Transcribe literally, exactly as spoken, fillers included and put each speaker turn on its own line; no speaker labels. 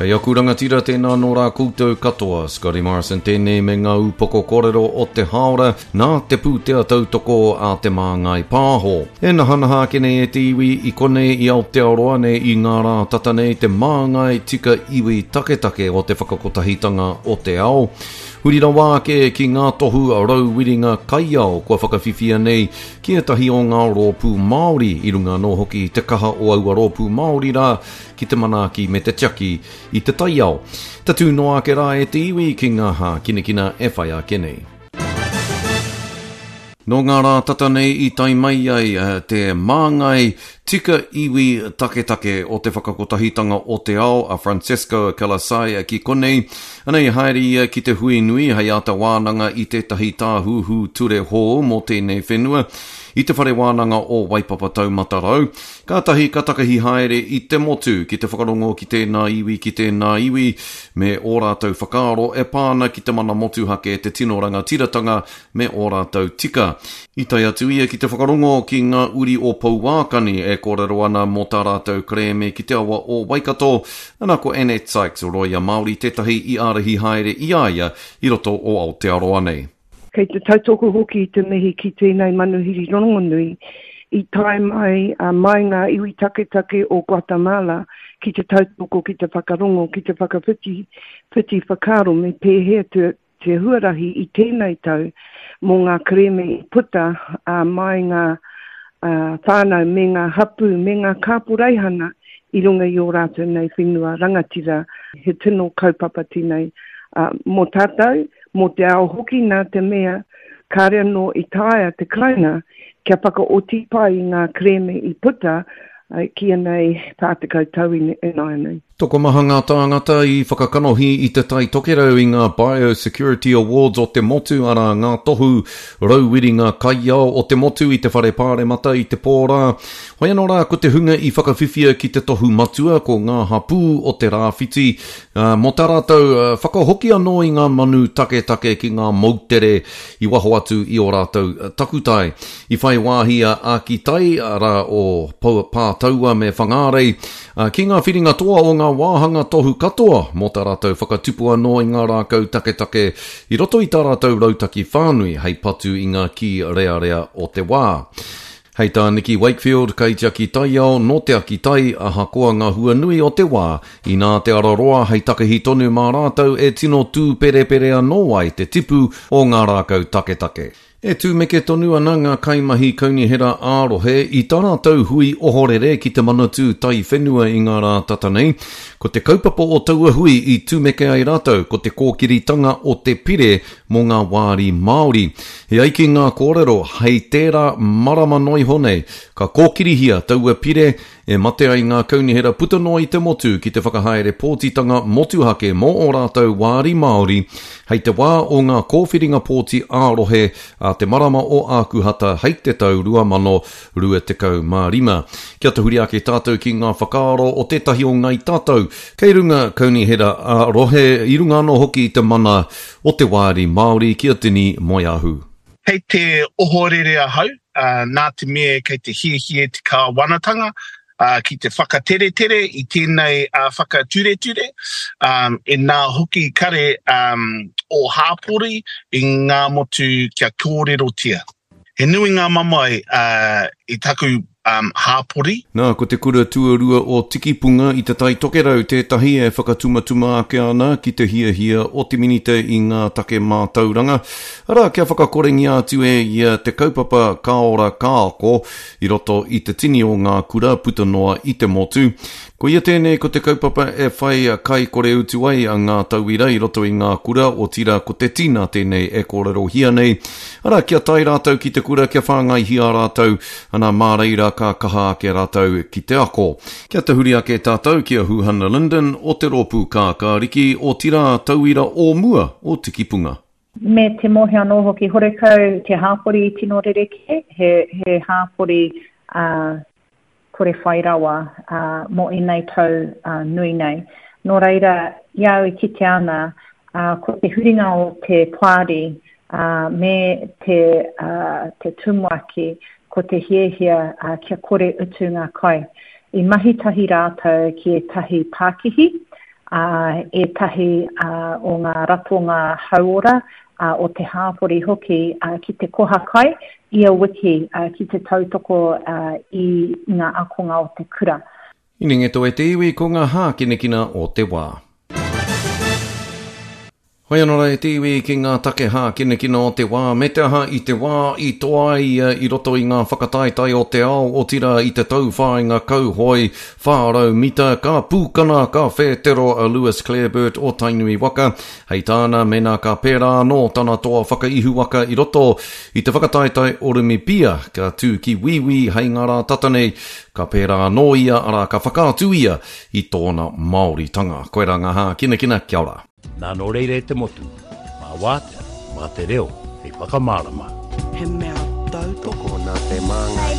Kei aku rangatira tēnā nō rā koutou katoa, Scotty Morrison tēnei me ngā upoko kōrero o te haora nā te pūtea tautoko a Te Māngai Pāho. E nahanaha ake nei e te iwi i konei i Aotearoa nei i ngā rā tata nei te māngai tika iwi taketake o te whakakotahitanga o te ao. Huri rawa ake ki ngā tohu rauwiringa kaiao kua whakawhiwhia nei ki ētahi o ngā rōpū Māori i runga anō hoki i te kaha o aua rōpū Māori rā ki te manaaki me te tiaki i te taiao. Tatū noa ake rā e te iwi ki ngā hākinakina e whai ake nei. Nō ngā rā tata nei i tae mai ai te māngai tika iwi taketake o te whakakotahitanga o te ao a Francesco Calisaya ki konei. Anei haere ia ki te hui nui hei āta wānanga i tētahi tāhuhu ture hou mō tēnei whenua i te whare wānanga o Waipapa Taumata Rau. Kātahi ka takahi haere i te motu ki te whakarongo ki tēnā iwi ki tēnā iwi me ō rātou whakaaro e pā ana ki te mana motuhake, te tino rangatiratanga me ō rātou tika. I tae atu ia ki te whakarongo ki ngā uri o Pouākani e kōrero ana mō tā rātou kerēme ki te awa o Waikato. Ana ko Annette Sykes, Roia Māori tētahi i ārahi haere i a ia i roto o Aotearoa nei.
Kei te tautoko hoki i te mihi ki tēnei manuhiri rongonui i tae mai, uh, mai ngā iwi taketake o Guatemala ki te tautoko, ki te whakarongo, ki te whakawhiti whiti whakaaro me pēhea te, te huarahi i tēnei tau mō ngā kerēme i puta uh, mai ngā uh, whānau me ngā hapū me ngā kāporeihana i runga i ō rātou nei whenua rangatira. He tino kaupapa tēnei uh, mō tātou, mō te ao hoki nā te mea, kāre anō i taea te Karauna kia whakaoti pai i ngā kerēme i puta uh, ki anei whā tekau tau ināianei.
Tokomaha ngā tāngata i whakakanohi i te Tai Tokerau i ngā Biosecurity Awards o te motu, arā ngā tohu rauwiringa kaiao o te motu i te whare pāremata i te pō rā. Hoi anō rā ko te hunga i whakawhiwhia ki te tohu matua ko ngā hapū o te rāwhiti, uh, mō tā rātou uh, whakahoki anō i ngā manu taketake ki ngā moutere i waho atu i ō rātou takutai. I whai wāhi a Ākitai, arā o Pātaua me Whangārei, uh, ki ngā whiringa toa o ngā wāhanga tohu katoa mō tā rātou whakatupu anō i ngā rākau taketake i roto i tā rātou rautaki whānui hei patu i ngā kī rearea o te wā. Hei tā Nikki Wakefield, kaitiaki taiao nō te Akitai, ahakoa ngā hua nui o te wā, inā te ara roa hei takahi tonu mā rātou e tino tūperepere anō ai te tipu o ngā rākau taketake. E tūmeke tonu ana ngā kaimahi kaunihera ā-rohe i tā rātou hui ohorere ki te Manatū Taiwhenua i ngā rā tata nei. Ko te kaupapa o taua hui i tūmeke ai rātou ko te kōkiritanga o te pire mō ngā wāri Māori. He ai ki ngā kōrero hei tērā marama noa iho nei, ka kōkirihia taua pire e mate ai ngā kaunihera puta noa i te motu ki te whakahaere pōtitanga motuhake mō ō rātou wāri Māori hei te wā o ngā kōwhiringa pōti ā-rohe a te marama o Ākuhata hei te tau rua mano rua tekau mā rima. Kia tahuri ake tātou ki ngā whakaaro o tētahi o ngai tātou kei runga kaunihera ā-rohe i runga anō hoki i te mana o te wāri Māori ki a Tini Moeahu.
Kei te ohorere ahau, uh, nā te mea kei te hiahia te kāwanatanga, uh, ki te whakateretere i tēnei uh, whakatureture, um, e nā hoki kare um, o hāpori i ngā motu kia kōrerotia. He nui ngā mamae uh, i taku um, hāpori.
Nā, ko te kura tuarua o Tikipunga i te Tai Tokerau tētahi e whakatumatuma ake ana ki te hiahia o te minita i ngā take mātauranga. Arā, kia whakakorengia atu e ia te kaupapa ka ora ka ako i roto i te tini o ngā kura puta noa i te motu. Ko ia tēnei ko te kaupapa e whai kai kore utu ai a ngā tauira i roto i ngā kura, otirā ko te tina tēnei e kōrerohia nei. Arā, kia tae rātou ki te kura, kia whāngaihia rātou, ana mā reira ka kaha ake rātou ki te ako. Kia tahuri ake tātou ki a Huhana Lyndon o te rōpū Kākāriki, otirā tauira o mua o Tikipunga.
Me te mōhio anō hoki, horekau te hāpori i tino rerekē, he, he hāpori uh, kore whai rawa uh, mō ēnei tau uh, nui nei. Nō reira, i au i kite ana, uh, ko te huringa o te poari uh, me te, uh, te tumuaki, ko te hiahia uh, kia kore utu ngā kai. I mahi tahi rātou ki ētahi pākihi, ētahi o ngā ratonga hauora o te hāpori hoki ki te koha kai ia wiki ki te tautoko i ngā ākonga o te kura.
Inengeto e te iwi ko ngā hākinakina o te wā. Hoi anō rā e te iwi ki ngā take hākinakina o te wā, me te aha i te wā i toa ai ia i roto i ngā whakataetae o te ao, otirā i te tauwhāinga kauhoe whā rau mita, ka pūkana, ka whētero a Lewis Clareburt o Tainui waka. Hei tāna, mēnā ka pērā anō tana toa whakaihuwaka i roto i te whakataetae Orimipia, ka tū ki Wīwī hei ngā rā tata nei, ka pērā anō ia, arā, ka whakaatu ia i tōna Māoritanga. Koirā ngā hākinakina, kia ora.
Nā nō reira e te motu, mā Wātea, mā te reo hei whakamārama.
He mea tautoko.
Tokona te māngai.